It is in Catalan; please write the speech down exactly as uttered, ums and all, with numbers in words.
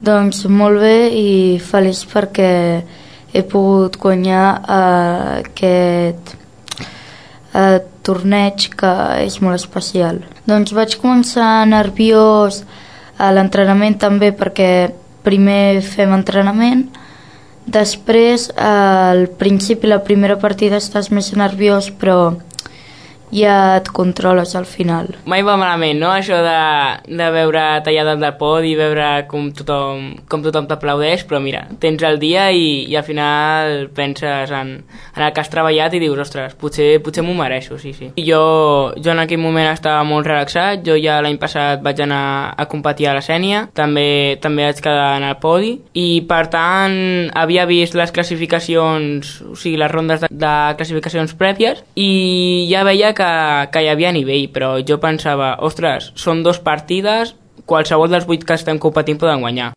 Doncs molt bé i feliç perquè he pogut guanyar uh, aquest uh, torneig que és molt especial. Doncs vaig començar nerviós a l'entrenament també perquè primer fem entrenament, després al principi la primera partida estàs més nerviós però ja et controles al final. Mai va malament, no?, això de, de veure tallar dalt del podi i veure com tothom, com tothom t'aplaudeix, però mira, tens el dia i, i al final penses en, en el que has treballat i dius, ostres, potser, potser m'ho mereixo, sí, sí. I jo, jo en aquell moment estava molt relaxat, jo ja l'any passat vaig anar a competir a la Sénia, també, també vaig quedar en el podi i per tant havia vist les classificacions, o sigui, les rondes de, de classificacions prèvies i ja veia que Que, que hi havia nivell, però jo pensava, ostres, són dos partides, qualsevol dels vuit que estem competint poden guanyar.